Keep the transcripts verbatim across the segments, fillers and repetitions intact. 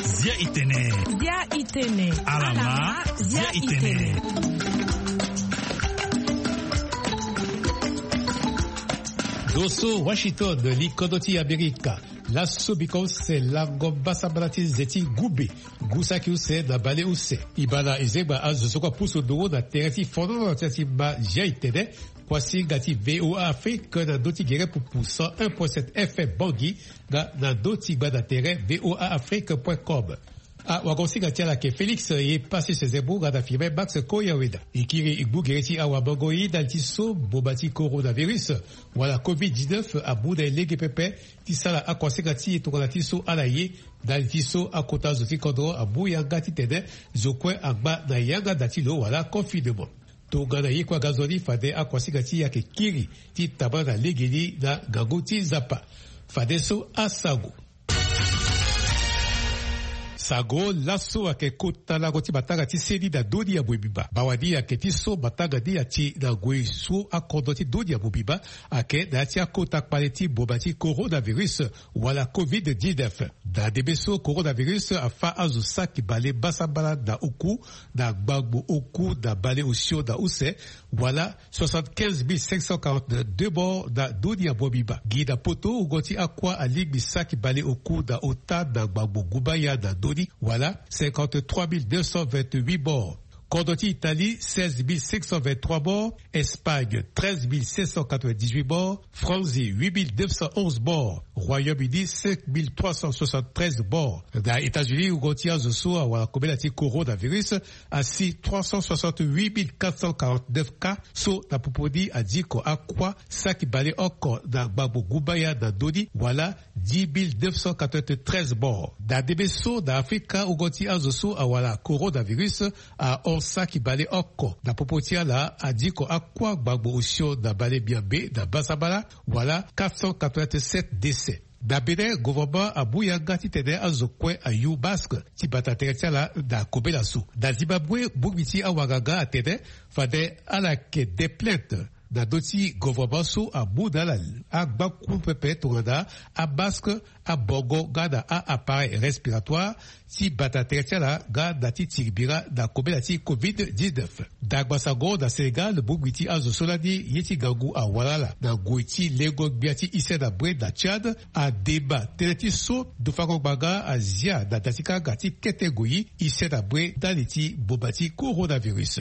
Zia itene. Zia itene. Alama, zia itene. Doso Washington, li kodro ti Amerika. Laso biko use lango mbasambala ti nze ti gumbe. Ngu saki use na bale use. E baa na e zengba azo so kue apusu nduru na tere ti fonono ti atima zia itene. Kuasinga ti VOA Afrique na ndö ti gere pupu cent un point sept F M Bangui, nga na ndö ti gbanda tere voa afrique point com. Awagosinga ti ala ayeke Félix ye pasi sezembu nga na firme Max Koyaweda. E kiri e gbu gere ti awamangoi ndali ti so mboma ti coronavirus wala covid dix-neuf amu na e lege pepe ti sara akuasinga ti e tongana ti so ala ye ndali ti so akota zo ti kodro amu yanga titene zo kue angba na yanga da ti lo wala confinement. Tongana ye kue aga nzoni fade akuasinga ti e ayeke kiri ti tambala na legeni na ngangu ti Nzapa. Fadeso asango. Sango laso ayeke kota lango ti matanga ti seni na ndö ni ya mobimba. Bawani ayeke ti so matanga ni ati na ngoi so akodro ti ndö ni ya mobimba ayeke na ya ti akota kpale ti mboma ti coronavirus wala covid dix-neuf. Na ndembe so coronavirus afâ azo saki bale mbasambala na oku na gbangbo oku na bale osio na use wala soixante-quinze mille cinq cent quarante-deux morts na ndö ni ya mobimba. Gi na poto wungo ti akua alingbi saki bale oku na ota na gbangbo gumbaya na ndö ni wala cinquante-trois mille deux cent vingt-huit morts. Kodro ti Italie, seize mille cinq cent vingt-trois morts. Espagne, treize mille cinq cent quatre-vingt-dix-huit morts. France, huit mille neuf cent onze morts. Royaume-Uni, cinq mille trois cent soixante-treize morts. Na États-Unis, wungo ti azo so awara kobela ti coronavirus asi trois cent soixante-huit mille quatre cent quarante-neuf cas so na popo ni adiko akua saki bale oko na gbangbo gumbaya na ndö ni wala dix mille neuf cent quatre-vingt-treize morts. Na ndembe so na Afrika, wungo ti azo so awara coronavirus ahon saki bale oko na popo ti ala adiko akua gbangbo osio na bale miambe na mbasambala wala quatre cent quatre-vingt-sept décès. Na Bénin, gouvernement amu yanga titene azo kue ayu masque ti bata tere ti ala na kobela so. Na Zimbabwe, bongbi ti awanganga atene fade ala yeke de plainte na ndö ti gouvernement so amu na ala agbaku pepe tongana amasque, abongo nga na a-appareil respiratoire ti bata tere ti ala nga na ti tiri bira na kobela ti covid dix-neuf. Dagba sango na Sénégal, bongbi ti azo so lani ye ti ngangu awara ala na ngoi ti lengo gbia ti ise na bwe na Tchad ademba tënë ti so ndufango ngbanga azia na da ti kanga ti kete ngoi ise na bwe ndali ti mboma ti coronavirus.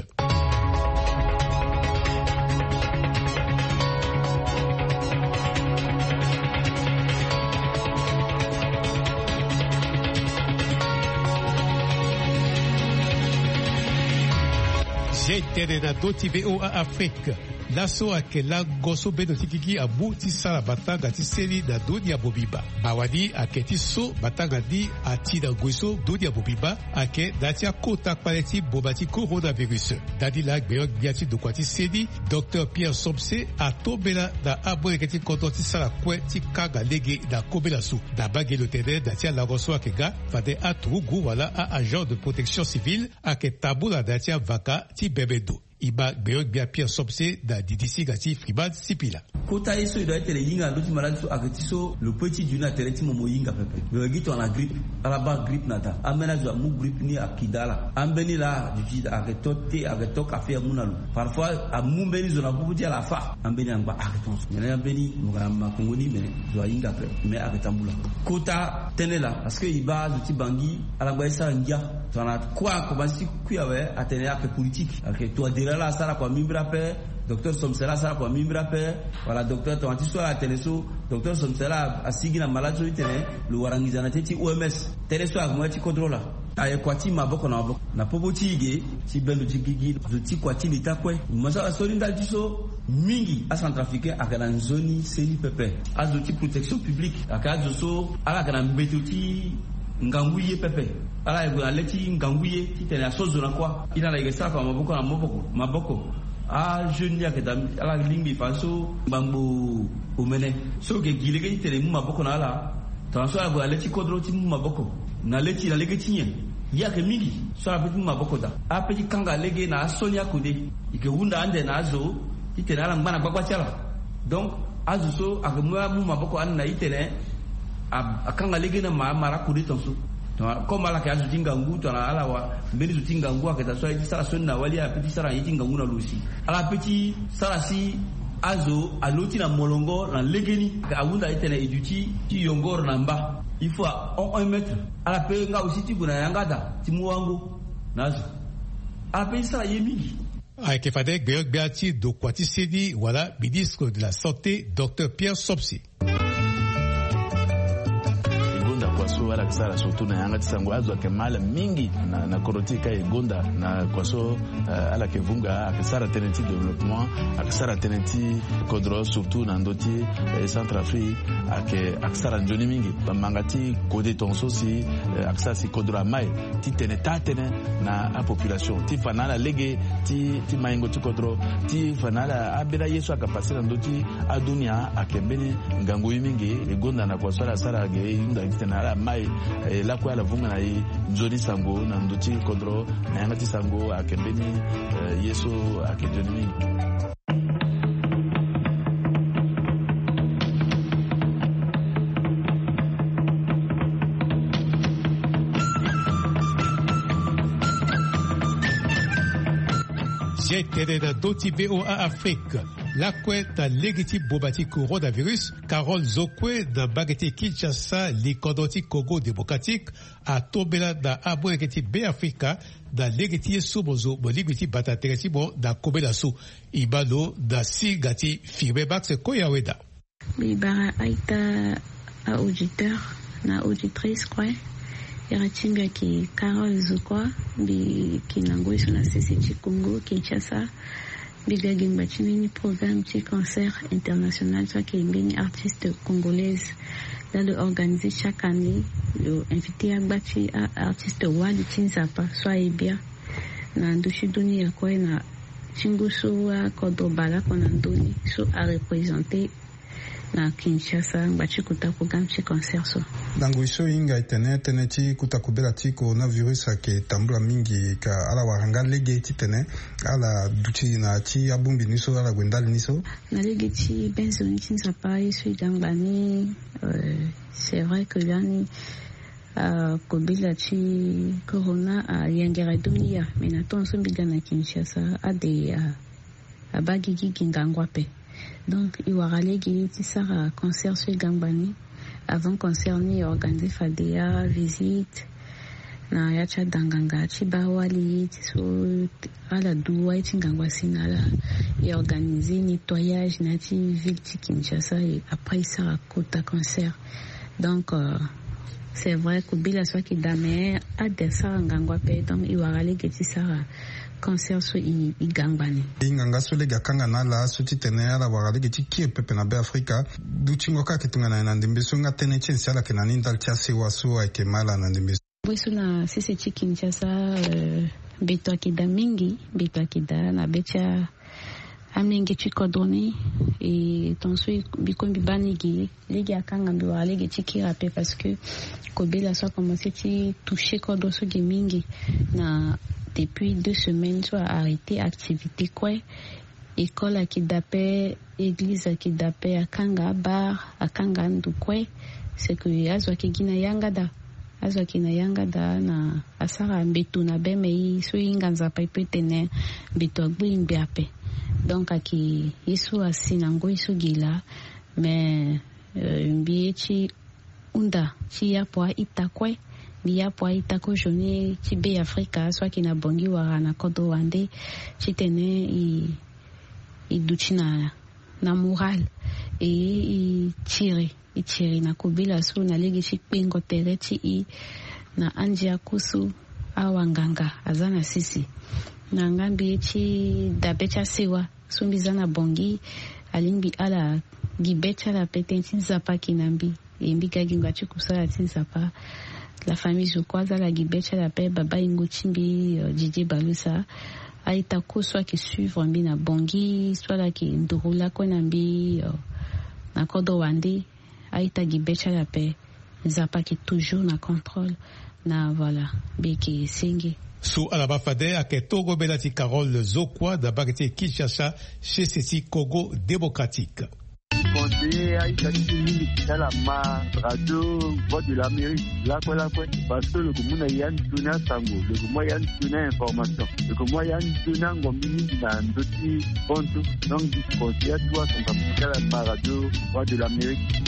Zia itene na ndö ti VOA Afrique. Laso ayeke lango so bendo ti gigi amu ti sara matanga ti seni na ndö ni ya mobimba. Mawa ni ayeke ti so matanga ni ati na ngoi so ndö ni ya mobimba ayeke na ya ti akota kpale ti mboma ti coronavirus. Ndani laa gbenyo-gbia ti ndokua ti seni, Docteur Pierre Somse, atombela na amolenge ti kodro ti sara kue ti kanga lege na kobela so. Na mbage lo tene na ya ti alango so ayeke ga, fade aturugu wala a-agent de protection civile ayeke tambula na ya ti avaka ti bembe ndo. E ma gbenyo-gbia Pierre Somse na didisinga ti Freeman Sipila. Kota ye so e doit ti tene e hinga na ndö ti malade so ayeke ti so lo pe ti dunia na tere ti mo mo hinga pepe. Lo yeke gi tongana grippe, ala baa grippe na daa. Ambeni azo amu grippe ni aki daa ala. Ambeni laa duti ayeke to te, ayeke to kafe amu na lo. Parfois amu mbeni zo na popo ti ala afâ. Ambeni angba ayeke tongaso. Mene ambeni mo ga na makongo ni, mene zo ahinga ape. Me ayeke tambula. Kota tënë laa parce que e baa azo ti Bangui ala ngba ye sara ngia. Tongana kue akomanse ti kui awe atene ayeke politique. Ayeke Touadéra laa asara kua mimbiri ape. Docteur Somse laa asara kua mimbiri ape. Wala docteur tongana ti so ala atene so, docteur Somse laa asigi na malade so ti tene lo wara nginza na tënë ti O M S. Tënë so ayeke mo ya ti kodro laa. Aye kua ti maboko na maboko na popo ti e ge ti bendo ti gigi zo ti kua ti leta kue. Mo sara soni ndali ti so mingi acentrafricain ayeke na nzoni seni pepe. Azo ti protection publique ayeke azo so ala yeke na mbeto ti ngangu ye pepe. Ala yeke gue na le ti ngangu ye titene aso zo na kuâ. E na ala yeke sara fa maboko na maboko maboko. Ajeune ni ayeke daa ala lingbi fa so ngbangbo omene so yeke gi lege titene e mu maboko na ala. Tongana so ala gue na le ti kodro ti mu maboko na le ti na lege ti nyen? Ye ayeke mingi so ala pe ti mu maboko daa. Ape ti kanga lege na aso ni akode. E yeke hunda ande na azo Titene ala ngba na gbagba ti ala. Donc azo so ayeke mu amu maboko ande na itene a- akanga lege na ma amara kode tonso. Tongana comme ala yeke azo ti ngangu tongana ala wa mbeni zo ti ngangu ayeke daa so aye ti sara sioni na wali ala pe ti sara na ye ti ngangu na lo si ala pe ti sara si azo alo ti na molongo na legeni ayeke ahunda itene e duti ti yongoro na mba. Il faut ahon un mètre. Ala pe nga aussi ti gue na yanga daa ti mu wango na azo. Ala pe ti sara ye mingi. Ayeke fade gbeogbia ti dokua ti seni wala ministre de la santé, docteur Pierre Sopsi. E gonda kua so ala yeke sara surtout na yanga ti sango azo ayeke ma ala mingi na, na kodro ti e ka e gonda na kua so, eh, ala yeke vunga ayeke sara tënë ti développement, ayeke sara tënë ti kodro surtout na ndö ti, eh, Centrafrique, ayeke ayeke sara nzoni mingi. Bamanga ti kode tongaso si, eh, ayeke sara si kodro amai titene taa tënë na apopulation ti fa na ala lege ti, ti maingo ti kodro, ti fa na ala ambeni aye so ayeke pase na ndö ti adunia ayeke mbeni ngangu ye mingi. E gonda na kua so ala sara ge e hunda titene ala mai, eh, lakue ala vunga na e nzoni sango na ndö ti kodro na yanga ti sango ayeke mbeni, eh, ye so ayeke nzoni mingi. Zia e tene na ndö ti V O A Afrique. Lakue na lege ti boma ti coronavirus, Carole Zokwe na mbage ti Kinshasa, likodro ti Congo Démocratique, atombela na amolenge ti Beafrika na lege ti ye so mo zo mo lingbi ti bata tere ti mo na kobela so. E ma lo na singa ti Firmin Max Koyaweda. Mbi bara a-ita, a-auditeur na auditrice kue. Iri ti mbi ayeke Carole Zokwe. Mbi yeke na ngoi so na sese ti Congo Kinshasa. Mbi ga gi ngba ti mbeni programme ti concert international so ayeke mbeni artiste congolaise. Laa lo organiser chaque année, lo inviter agba ti a-artiste wali ti Nzapa so aye bia na ndö ti dunia kue na tingo so akodro baleoko na ndö ni so areprésenter na Kinshasa ngba ti kota programme ti concert so. Na ngoi so e hinga e tene tënë ti kota kobela ti coronavirus ayeke tambula mingi, ka ala wara nga lege titene ala duti na ya ti abongbi ni so, ala gue ndali ni so. Na lege ti be nzoni ti Nzapa ye so e ga ngba ni, euh, c'est vrai que lani, euh, kobela ti corona ayengere dunia, mais na temps so mbi ga na Kinshasa ade, euh, abaa gigi gi ngangu ape. Donc e wara lege ti sara concert so e ga ngba ni. Avant concert ni e organiser fade avisite na ya ti adanganga ti baa wali ti so ala du wali ti ngangu asi na ala. E organiser nettoyage na ya ti ville ti Kinshasa, et après e sara kota concert. Donc, euh, c'est vrai kobela so ayeke daa mais ade asara ngangu ape, donc e wara lege ti sara concert so e, e ga ngba ni. E hinga nga so lege akanga na ala so titene ala wara lege ti kiri pepe na Beafrika. Dutingo kâ ayeke tongana nyen na ndembe so nga tënë ti nyen si ala yeke na ni ndali ti asewa so ayeke ma ala na ndembe so? Ngoi so na sese ti Kinshasa, euh, mbeto ayeke daa mingi, mbeto ayeke daa na be ti a amenge ti kodro ni. E tongaso mbi kue mbi baa ni ge, lege akanga mbi wara lege ti kiri ape parce que kobela so akomanse ti toucher kodro so ge mingi. Na depuis deux semaines so a arrêter activité kue. École ayeke daa ape, église ayeke daa ape, akanga abar, akanga ando kue. C'est que azo ayeke gi na yanga daa. Azo ayeke na yanga daa na asara mbeto na be, mais e so e hinga Nzapa e peut tene mbeto agbu e ngbe ape. Donc ayeke ye so asi na ngoi so ge laa. Mais, euh, mbi ye ti hunda ti yapo a-ita kue. Mbi yapo a-ita kozoni ti Beafrika so ayeke na Bangui wala na kodro wande titene e, e duti na, na moral. E, e tiri e tiri na kobela so na lege ti kpengo tere ti e na andia kue so awanganga aza na sese. Na nga mbi ye ti dabe ti asewa so mbi za na Bangui, alingbi ala gi be ti ala ape tënë ti Nzapa ayeke na mbi. E mbi ga gi ngba ti kusala ti Nzapa. La famille zo kue aza ala gi be ti ala ape, baba ingo ti mbi, euh, Didier Balusa. A-ita kue so ayeke suivre mbi na Bangui so ala yeke nduru lakue na mbi, euh, na kodro wande. A-ita gi be ti ala ape. Nzapa ayeke toujours na contrôle. Na voilà, mbi yeke senge. So ala baa fade ayeke tongo mbela ti Carole Zokua na mbage ti Kinshasa, sese ti Congo Démocratique. Conseiller aita ti mingi ti tala ma radio Voix de l'Amérique lakue lakue, parce que lo yeke mu na ya nzoni asango, lo yeke mu ya nzoni a-information, lo yeke mu ya nzoni angombi mingi na ndö ti hon so. Donc conseiller atu asango ti tala ma radio Voix de l'Amérique.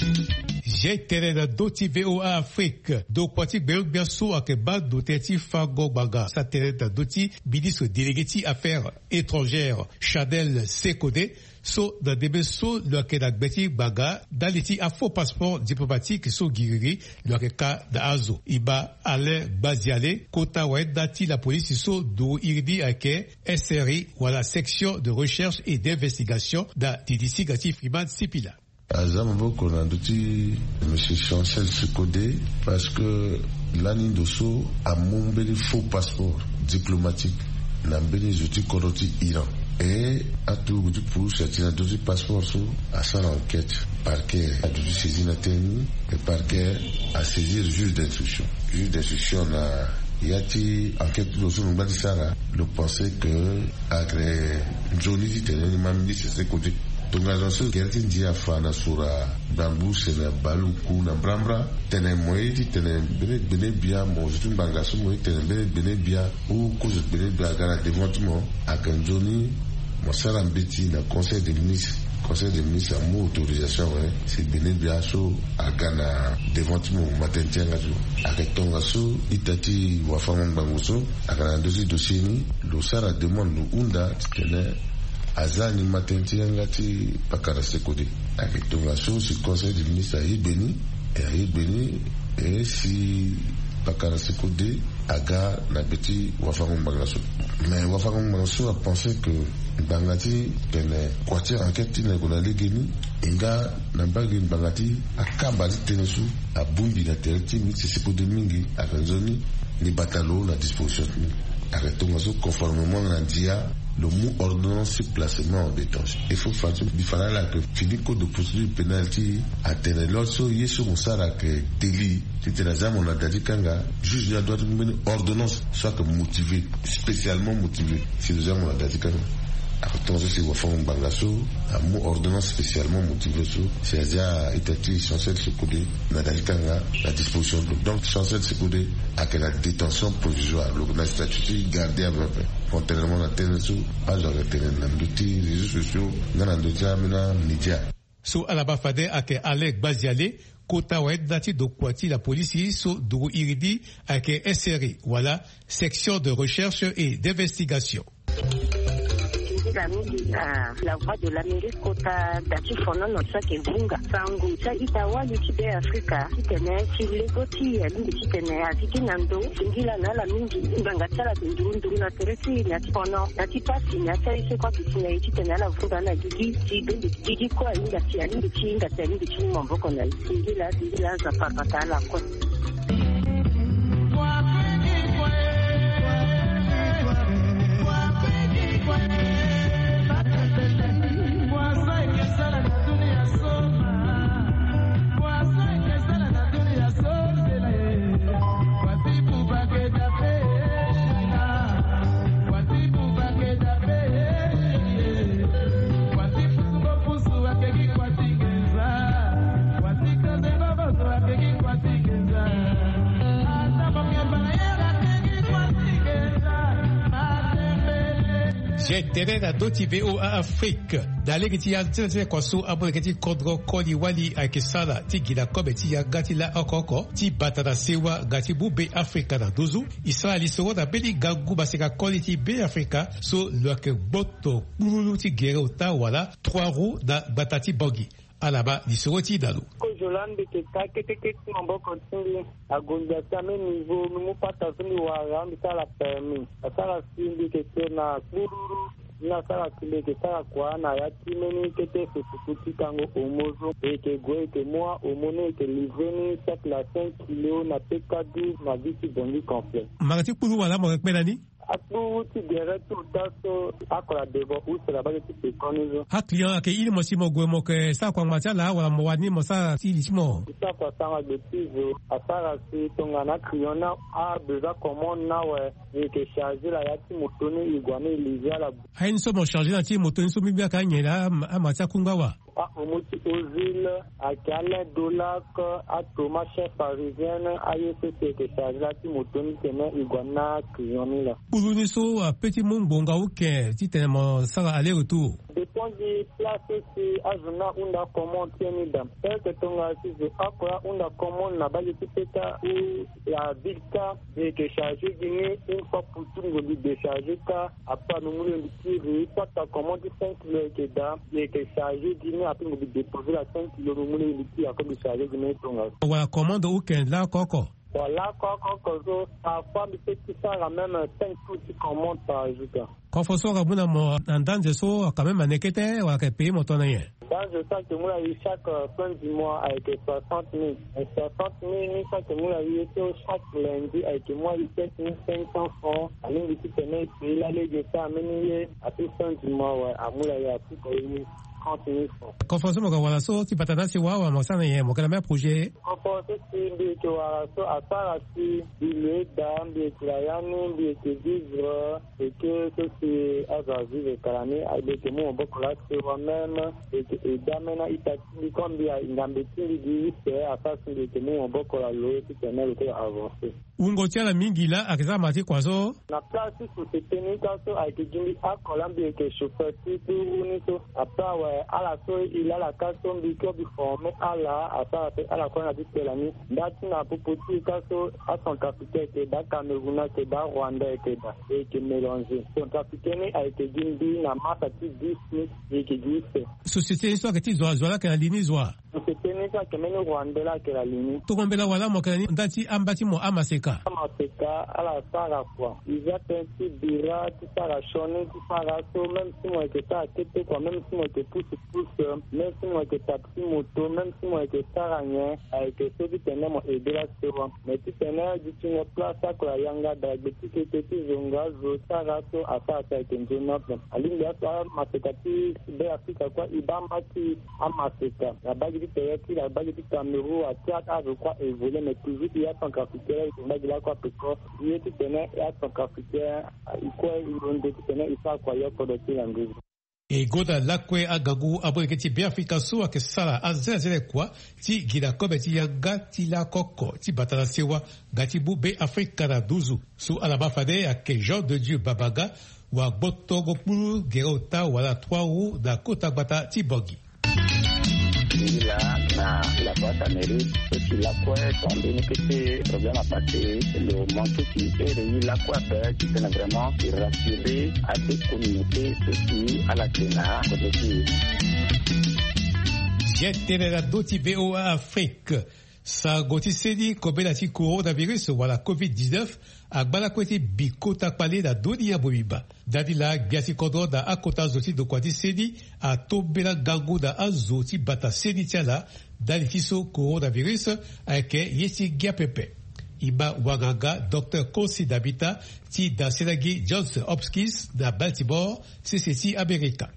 Zia tene na ndö ti VOA Afrique, ndokua ti gbeogbia so ayeke baa ndo tënë ti fango ngbanga sa tene na ndö ti ministre délégué ti affaires étrangères, Chanel Sekode, so na ndembe so lo yeke na gbe ti ngbanga ndali ti afaux passeport diplomatique so giriri lo yeke ka na azo. E ma Alain Gbaziale, kota wayenda ti lapolisi so nduru iri ni ayeke S R I wala section de recherche et d'investigation na didi singa ti Freeman Sipila. Aza maboko na ndö ti Monsieur Chancel Sekode, parce que lani ndo so amu mbeni faux passeport diplomatique na mbeni zo ti kodro ti Iran. E aturugu ti pulus ati na ndö ti passeport so asara enquête. Parquet aduti saisi na tënë ni. E parquet asaisir juge d'instruction. Juge d'instruction na ya ti enquête ti lo so lo ngba ti sara, lo pense que ayeke nzoni titene ni ma ministre Sekode. Tongana so gere ti ndia afa na sura gbangbu sene baleoku na mbrambra, tene mo ye ti tene mbeni gbene bia, mo zo ti ngbanga so mo ye ti tene mbeni gbene bia, ou kozo gbene bia aga na devant ti mo, ayeke nzoni mo sara mbeti na conseil des ministres. Conseil des ministres amu autorisation awe si gbene bia so aga na devant ti mo matin ti yanga ti lo. Ayeke tongaso ita ti wafango-ngbanga so aga na ndö ti dossier ni, lo sara demande, lo hunda titene aza ni matin ti yanga ti pakara Sekode. Ayeke tongaso si conseil des ministres aye gbe ni, e aye gbe ni, e si pakara Sekode aga na gbe ti wafango-ngbanga so. Mais wafango-ngbanga so apense que ngbanga ti tene kua ti enquête ti na gue na legeni, e nga na mbage ngbanga ti akamba ti tënë so abongbi na tere ti ministre Sekode mingi, ayeke nzoni ni bata lo na disposition ti ni. Ayeke tongaso conformément na ndia lo mu ordonnance ti placement en détention. Il faut fa ti mbi fa na ala ayeke fini code de procédure pénale ti atene lo so ye so mo sara ayeke délit, titene aza mo na da ti kanga, juge ni adoit ti mu mbeni ordonnance so ayeke motivé, spécialement motivé, si lo za mo na da ti kanga. Ayeke tongaso si wafango-ngbanga so amu ordonnance spécialement motivé so si azia ita ti Chancel Sekode na da ti kanga na disposition ti lo. Donc Chancel Sekode ayeke na détention provisoire, lo yeke na statut ti gardien à vue à vue, contrairement na tënë so azo ayeke tene na ndö ti réseaux sociaux nga na ndö ti ambeni amédia. So ala baa fade ayeke Alain Gbaziale, kota wayenda ti ndokua ti lapolisi so nduru iri ni ayeke S R I wala section de recherche et d'investigation. Nzila mingi na La Voix de l'Amérique kota da ti fonono so ayeke vunga sango ti a-ita wali ti Beafrika titene ti lego ti e alingbi titene azi gi na ndo. Singila na ala mingi ngbanga ti ala ayeke nduru nduru na tere ti e na ya ti fono, na ya ti pasi, na ya ti aye so kue ayeke si na e titene ala vunga na gigi ti bende. Gigi kue ahinga si alingbi ti hinga si alingbi ti mu maboko na e. Singila, singila, Nzapa abata ala kue. Zia tene na ndö ti VOA Afrique. Na lege ti ya ti na ti na kua so amolenge ti kodro koli wali ayeke sara ti gi na kobe ti yanga ti la oko oko ti bata na sewa nga ti mu Beafrika na nduzu. E sara lisoro na mbeni ngangu maseka koli ti Beafrika so lo yeke gboto kpululu ti gere ota wala trois roues na gbata ti Bangui. Ala baa lisoro ti e na lo. Kozo laa mbi yeke ka kete kete ti maboko ti mbi. Ague mbi asi ambeni niveau, mbi mu pata so mbi wara, mbi sara permis. Asara si mbi yeke te na kpululu. Ni asara si mbi yeke sara kua na ya ti mbeni kete fufuku ti kango omo so. E yeke gue, e yeke mu ahomo ni, e yeke livrer ni chaque la cinq kilo na P K douze na ville ti Bangui complet. Mara ti kpululu wala mo yeke kpe na ni? Akpuru ti gere ti ota so akola devant use la bage ti pekoni so. Aclient ayeke iri mo si mo gue mo yeke sara kua ngba ti ala wala mo wani mo sara ti li ti mo. Ti sara kua sara gbe ti zo asara si tongana aclient ni abesoin commande ni awe, e yeke charge la ya ti moto ni e gue ni e livrer ala. Aye ni so mo charge na ti moto ni so mbi mbi ayeke anyen laa ama ti akunga wa. Aomo ti Ozil, ayeke Alain Dolac, atoma chef parisien, aye so si e yeke charge la ti moto ni tene e gue na client ni la. Kpuru ni so ape ti mu ngbonga uke titene mo sara aller retour. Dépend gi place so si azo ni ahunda commande ti e ni daa. Tel que tongana si zo oko ahunda commande na bage ti peta ou la ville ka, e yeke charge gi ni une fois pour tout, ngongi décharge ka. Après, anu mu lengbi ti ri, soit ta commande ti cinq kilo ayeke daa, e yeke charge gi ni, après ngongi déposer la cinq kilo, anu mu lengbi ti ri, après ngongi charge gi ni tongaso. Wala commande weekend laoko oko? Wala laoko oko so, parfois mbi peut ti sara même cinq tours ti commande par jour ka. Kofo so aka mu na mo na ndanze so aka même ane kete wala aka payer mo tongana nyen? Ndanze so ayeke mu na e chaque, euh, fin du mois ayeke soixante mille. Et soixante mille ni so ayeke mu na e so chaque lundi ayeke mu na e sept mille cinq cents francs. Alingbi titene e payer la lege so ameni ye, ape fin du mois awe, amu na e, ape payer trente mille francs. Kofo so mo yeke wara so ti bata na asewa wala mo sara na nyen, mo yeke na même projet? Kofo so si mbi yeke wara so asara si mbi lo eda, mbi yeke na ya ni, mbi yeke vivre. Eke so si azo avivre kala ni, a, mbi yeke mu maboko na asewa même, mbi yeke aide même na ita ti mbi, comme mbi a, ngambe ti mbi gi use, asara si mbi yeke mu maboko na lo titene lo kue avancer. Wungo ti ala mingi laa ayeke za ma ti kua so. Na place ti société ni ka so ayeke gi mbi oko laa, mbi yeke chauffeur ti kpuru ni so. Après awe, ala so e laa ala ka so mbi kue mbi former ala, asara pe ala kue na ti tela ni. Nda ti na popo ti e ka so, acentrafricain ayeke daa, Cameroun ayeke daa, Rwandais ayeke daa, e yeke mélanger. Centrafricain ni ayeke gi mbi na masa ti dix ni, e yeke gi use. Société ni so ayeke ti zo wa, zo wa laa ayeke na li ni zo wa? Société ni so ayeke mbeni Rwandais laa ayeke na li ni. Tongana mbela wala mo yeke na ni nda ti amba ti mo amaseka? Amaseka ala sara kua. E za tënë ti bira, ti sara sioni, ti sara so, même si mo yeke sara kete kua, même si mo yeke pousse pousse, même si mo yeke taxi moto, même si mo yeke sara nyen, ayeke so titene mo aider la sewa. Mais titene dutingo place oko ayanga daa gbe ti kete ti zonga zo sara so asara so ayeke nzoni ape. Alingbi aso amaseka ti Be Afrika kue e baa mba ti amaseka na bage ti tere ti la bage ti Cameroun, atia azo kue évoluer, mais toujours e acentrafricain e yeke mbage lakue ape ko. Ye titene e acentrafricain e kue e londo titene e sara kua yo kodro ti la nduzu. E gonda lakue angangu abongeke ti Be Afrika so ayeke sara azelazele kua ti gi na kobe ti yanga ti lakoko ti bata na sewa nga ti mu Be Afrika na nduzu. So ala baa fade ayeke Jean de Dieu Babanga, wa gbotongo kpulu gere ota wala trois roues na kota gbata ti Bangui. Ngi laa na la boîte à mairie, so si lakue so ambeni kete problème apassé, lo manqué ti ere ye lakue ape titene vraiment e rassurer ade communauté so si ala yeke na kodro ti e. Ye tene na ndö ti V O A Afrique. Sango ti seni kobela ti coronavirus wala covid dix-neuf agba lakue ti bi kota kpale na ndö ni ya mobimba. Ndani laa gbia ti kodro na akota zo ti ndokua ti seni atombela ngangu na azo ti bata seni ti ala. Ndali ti so coronavirus ayeke ye ti ngia pepe. E ma wanganga Docteur Consi Dabita ti dasenagi Johns Hopkins na Baltimore, sese ti Amerika.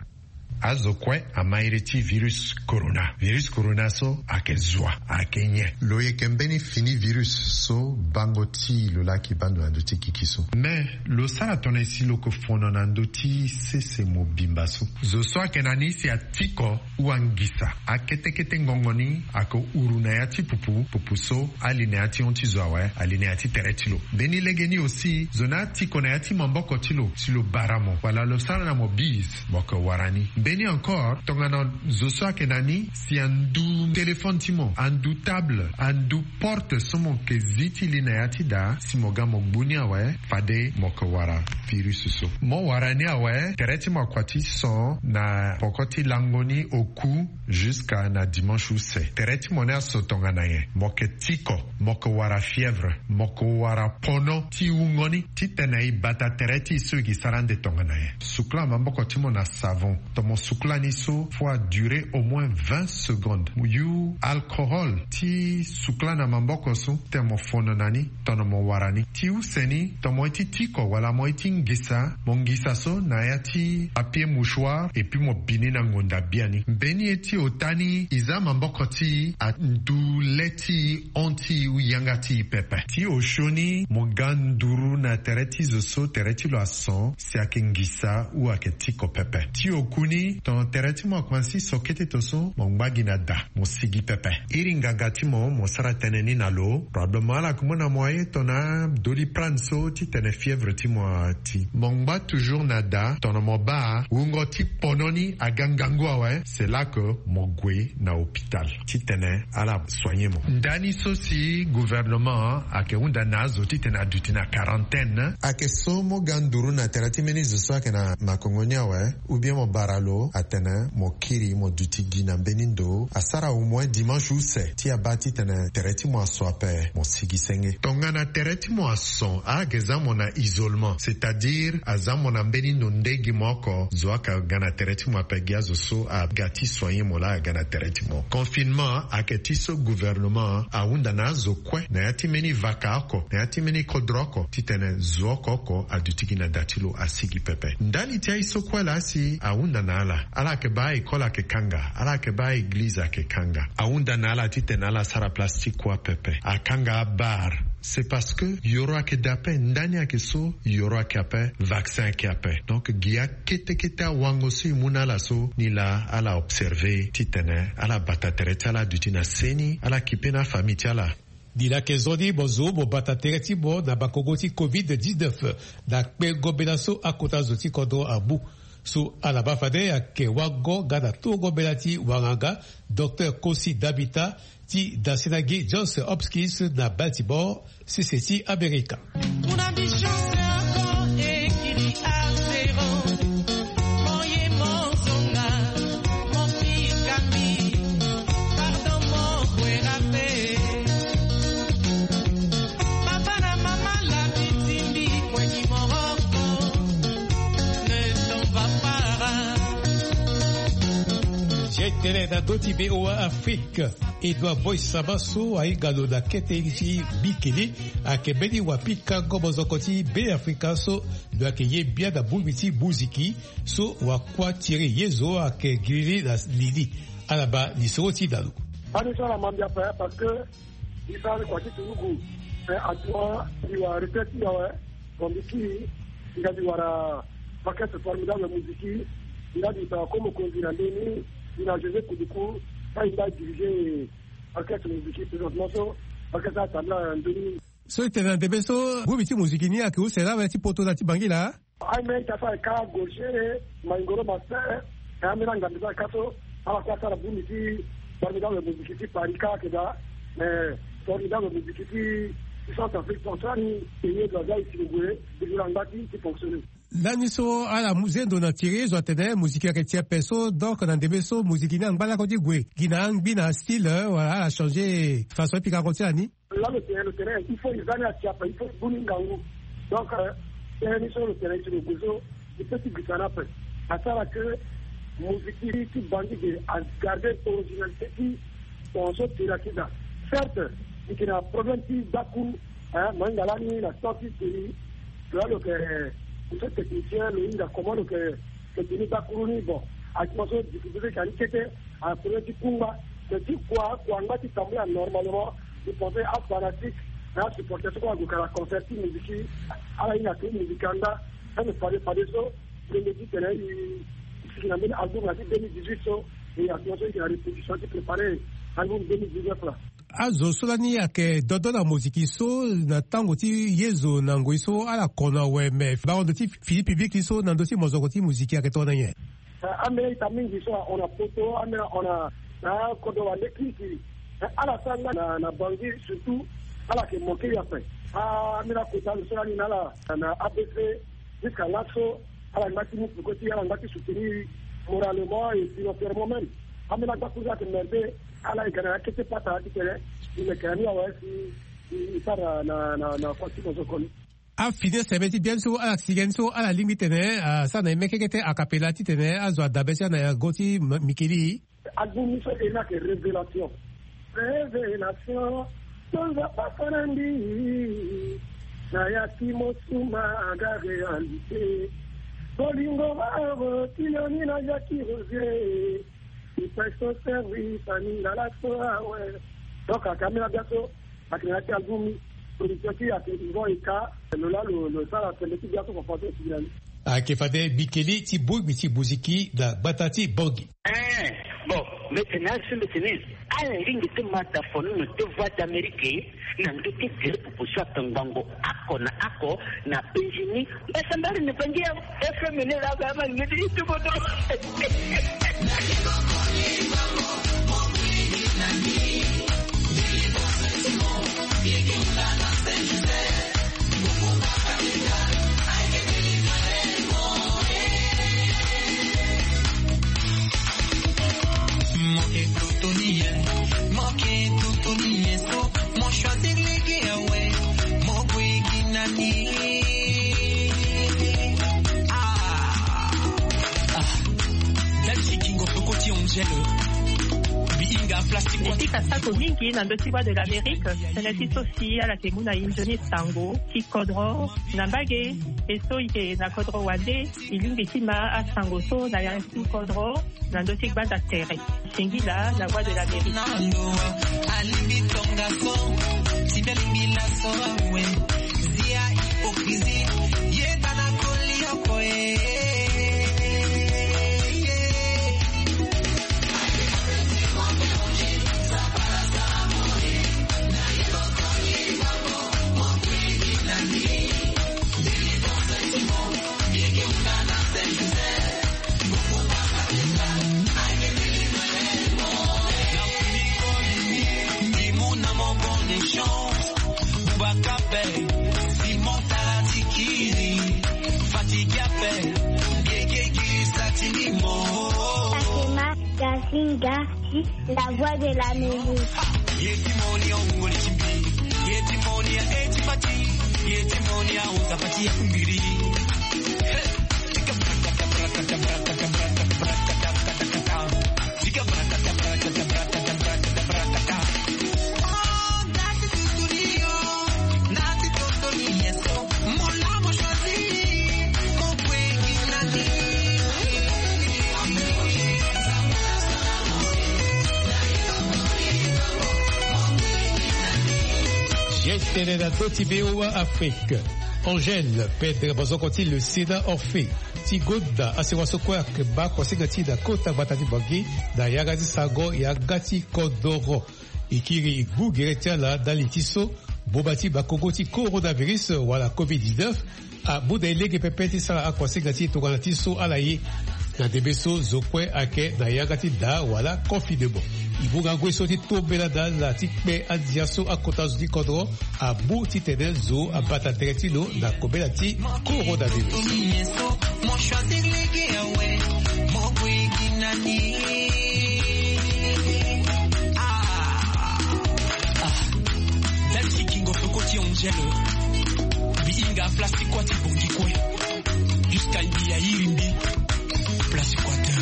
Azo kue ama iri ti virus corona. Virus corona so ayeke zua, ayeke nyen? Lo yeke mbeni fini virus so bango ti lo laki baa ndo na ndö ti kiki so. Mais lo sara tongana nyen si lo yeke fono na ndö ti sese mobimba so? Zo so ayeke na ni si atiko ou angisa akete kete ngongo ni ayeke huru na ya ti pupu, pupu so ali na ya ti hon ti zo awe, ali na ya ti tere ti lo. Mbeni legeni aussi, zo ni atiko na ya ti maboko ti lo si lo bara mo wala lo sara na mo bise, mo yeke wara ni. Mbeni encore, tongana zo so ayeke na ni si andu téléphone ti mo, andu table, andu porte so mo yeke zi ti li na ya ti daa, si mo ga mo gbu ni awe, fade mo yeke wara virus so. Mo wara ni awe, tere ti mo akua ti so na poko ti lango ni oku jusqu'à na dimanche use. Tere ti mo ni aso tongana nyen? Mo yeke tiko, mo yeke wara fièvre, mo yeke wara pono ti wungo ni, titene e bata tere ti e so e gi sara ande tongana nyen? Sukula maboko ti mo na savon, tomo Sukula ni so fo a dure au moins vingt secondes. Mo yu alcohol ti sukula na maboko so titene mo fono na ni tongana mo wara ni. Ti use ni tongana mo ye ti tiko wala mo ye ti ngisa, mo ngisa so na ya ti papier mouchoir et puis mo bi ni na ngonda biani. Mbeni ye ti ota ni e za maboko ti e andu le ti e, hon ti e ou yanga ti e pepe. Ti osio ni mo ga nduru na tere ti zo so tere ti lo ason si ayeke ngisa ou ayeke tiko pepe. Ti oku ni tongana tere ti mo akomanse so kete to so mo ngba gi na da, mo sigi pepe. Iri nganga ti mo mo sara tënë ni na lo. Probablement ala yeke mu na mo aye tongana Doliprane so titene fièvre ti mo ati. Mo ngba toujours na da, tongana mo baa wungo ti pono ni aga ngangu awe, c'est là que mo gue na hôpital titene ala soigner mo. Ndani so si gouvernement ayeke hunda na azo titene aduti na quarantaine. Ayeke so mo ga nduru na tere ti mbeni zo so ayeke na makongo ni awe, ou bien mo bara lo atene mo kiri mo duti gi na mbeni ndo, asara au moins dimanche use ti abaa titene tere ti mo ason ape mo sigi senge. Tongana tere ti mo ason, ala yeke za mo na isolement, c'est-à-dire aza mo na mbeni ndo nde gi mo oko, zo ayeke ga na tere ti mo ape, gi azo so aga ti soigner mo laa aga na tere ti mo. Confinement ayeke ti so gouvernement ahunda na azo kue na ya ti mbeni vaka oko, na ya ti mbeni kodro oko, titene zo oko oko aduti gi na da ti lo asigi pepe. Ndali ti aye so kue laa si ahunda na ala, ala yeke baa école ayeke kanga, ala yeke baa église ayeke kanga. Ahunda na ala titene ala sara place ti kua pepe, akanga abar. C'est parce que yoro ayeke daa ape, ndani ayeke so, yoro ayeke ape, vaccin ayeke ape. Donc gi akete kete awango so e mu na ala so, ni laa ala observer titene ala bata tere ti ala aduti na seni, ala kipe na afamille ti ala. Ni laa ayeke zo ni mo zo mo bata tere ti mo na makongo ti covid dix-neuf na kpengo mbela so akota zo ti kodro amu. So ala baa fade ayeke wango nga na tongo mbela ti wanganga, Docteur Kosi Dabita, ti dasi na gi Johns Hopkins na Baltimore, sese ti Amerika. Kuna bichance ako ekili afero. Moye mozonga, mofikami, pardon, mokwera pe. Papa na mama la bitindi kwe ki moroko. Ne t'en va pas. Jetele na ndö ti B O A Afrique. Edouard Boy Saba so ahinga lo na kete ti Mikili, ayeke mbeni wapikango mozoko ti Beafrika so lo yeke ye bia na bongbi ti muziki so wakua Thierry Yezo ayeke giriri na li ni. Ala baa lisoro ti na lo. Ani so ala ma mbi ape parce que mbi sara ni kua ti turugu. Eh, actuellement mbi wara retraite ti mbi awe. Bon, mbi kiri, nga mbi wara orchestre formidable musique, nga mbi tara ko mokonzi na ndeni, mbi na José Kuduku, fa mbi nga diriger orchestre musique présentement so, orchestre atambula na ndeni. So e tene na ndembe so, groupe ti musique ni ayeke use laa ti poto na ti Bangui laa? Aye me ita so ayeke ka Gaucher, Maingoro Master, e ambeni angambi so ayeke ka so, ala kue asara bongbi ti formidable musique ti Paris kâ ayeke daa, eh, formidable musique ti, ti Centrafrique, tongaso ni, e ye do aza e si lo gue, e gue na ngba ti, ti fonctionner. Lani so ala mu zendo na Thierry Yezo atene muziki ayeke ti ape so, donc na ndembe so muziki ni angba lakue ti gue gi na angbi na astyle, eh, wala ala changer façon ti pikango ti ala ni. Lani lo tene, lo tene il faut e za ni atie ape, il faut e bu ni ngangu. Donc, eh, tënë ni so lo tene ti lo gue so, e peut ti gbisa ni ape. Asara que muziki ti Bangui ge agarder originalité ti tongaso ti la ti daa. Certes, e yeke na problème ti gbakuru, hein, mo hinga lani na temps ti Thierry, lo laa lo yeke, eh, so technicien, lo hinga comment lo yeke, lo yeke teni gbakuru ni. Bon, actuellement so difficulté ti yeke na ni kete, a premier ti kungba, mais ti kua, kua angba ti tambula normalement, je pensais afanatique, na asupporter so kue ague ka na concert ti musique, ala hinga ti musique anda, ça me fade fade so, ndembe ti tene e, e sigi na mbeni album na ti deux mille dix-huit so, e actuellement so e yeke na répétition ti préparer album deux mille dix-neuf laa. Azo so lani ayeke dodo na moziki so na tango ti Yezo na ngoi so ala kono awe, me bango ndo ti fini public ni so na ndö ti mozoko ti moziki ayeke tongana nyen? Eh, ambeni ita mingi so ahon na poto, ambeni ahon na, na kodro wande kirikiri. Eh, ala sara nga na, na Bangui surtout, ala yeke manquer ape. Ah, ambeni akota ndo so lani na ala na A B C, jusqu'à laso, ala ngba ti mu peko ti, ala ngba ti soutenir moralement et financièrement même. Ambeni agbakuru so ayeke merde, ala yeke na ya kete pata ti tene, e meke na ni awe si e, e sara na, na, na kua ti mozoko ni. Afini aseme ti biani so ala sigi ni so ala lingbi tene asara na e mekeke te akapela titene azo adabe ti ala na go ti mikili. Album ni so e na ke révélation. Révélation. Tonza papa na mbi na ya ti mosuma aga réalité. Bolingo baro tiloni na jaki rosier. Ipeso service aningala so awe. Donc akamela biaso. Ake na ya ti album ni. Production ti ake ivo eka. Lo la lo lo sara sembe ti biaso fofo so e sigi na ni. Ayeke fade bikeli ti bongbi ti muziki na gbata ti Bangui. Eh, bon, mbi tene azo so mbi tene ala lingbi ti mata fonono ti Voix d'Amérique na ndö ti gere popo so aka ngbongo oko na oko na penzi ni. Mbi asambari na Bangui FM ni laa mbi ama lingbi ti ti koto. Etika sato mingi na ndö ti Voix de l'Amérique. Tënë ti so si ala yeke mu na e nzoni sango ti kodro na mbage. E so e yeke na kodro wande e lingbi ti ma asango so na ya ti kodro na ndö ti gbanda tere. Singila na Voix de l'Amérique. Alingbi tongaso ti mbi alingbi laso awe. Zia hypocrisie yeda na koli oko e. Fatima Gasinga, la voix de l'Amérique. Geste tene na ndö ti V O A Afrique. Angèle, pedre bazoko ti le Sénat Orphée ti gonda asewa so kue ayeke baa kuasinga ti e na kota gbata ti Bangui na yanga ti sango yanga ti kodoro. E kiri e gbu gere ti ala ndali ti so boma ti bakongo ti coronavirus wala covid dix-neuf amu na e lege pepe ti sara akuasinga ti e tongana ti so ala ye. Na ndembe so zo kue ayeke na yanga ti daa wala confinement. E mu ngangu ye so ti tombela na ala ti kpe andia so akota zo ti kodro amu titene zo abata tere ti lo na kobela ti coronavirus. Dali ti kingo peko ti Angèle. Mbi hinga place ti kua ti bongi kue. Jusqu'à mbi ya iri mbi place kua te.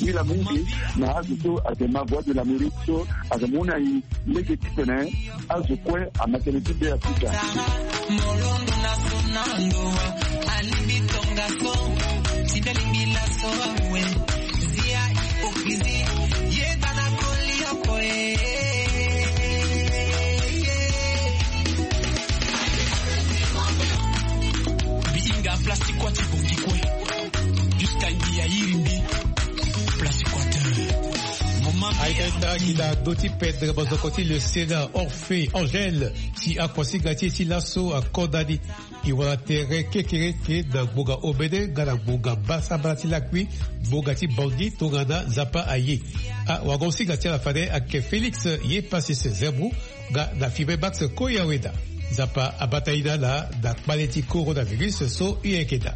Mbi la mingi na azo so ayeke ma Voix de l'Amérique so ayeke mu na e lege titene azo kue ama tënë ti be afrika. Molondo na so na ndo alingbi tongaso ti be alingbi laso awe. Zia hypocrisie yeda na koli oko e. Mbi hinga place ti kua ti bongi kue. Jusqu'à mbi ya iri mbi place ti kua te. Ayeke nda gi na ndö ti pedre bazoko ti le Sénat Orphée Angèle si akuasinga ti e ti laso akonda ni. E wara tere kekereke na ngbonga omene nga na ngbonga mbasambala ti lakui ngbonga ti Bangui tongana Nzapa aye. Awagosinga ti ala fade ayeke Félix ye Pasis Zembou nga na Fibre Max Koyaweda. Nzapa abata e na ala na kpale ti coronavirus so e yeke daa.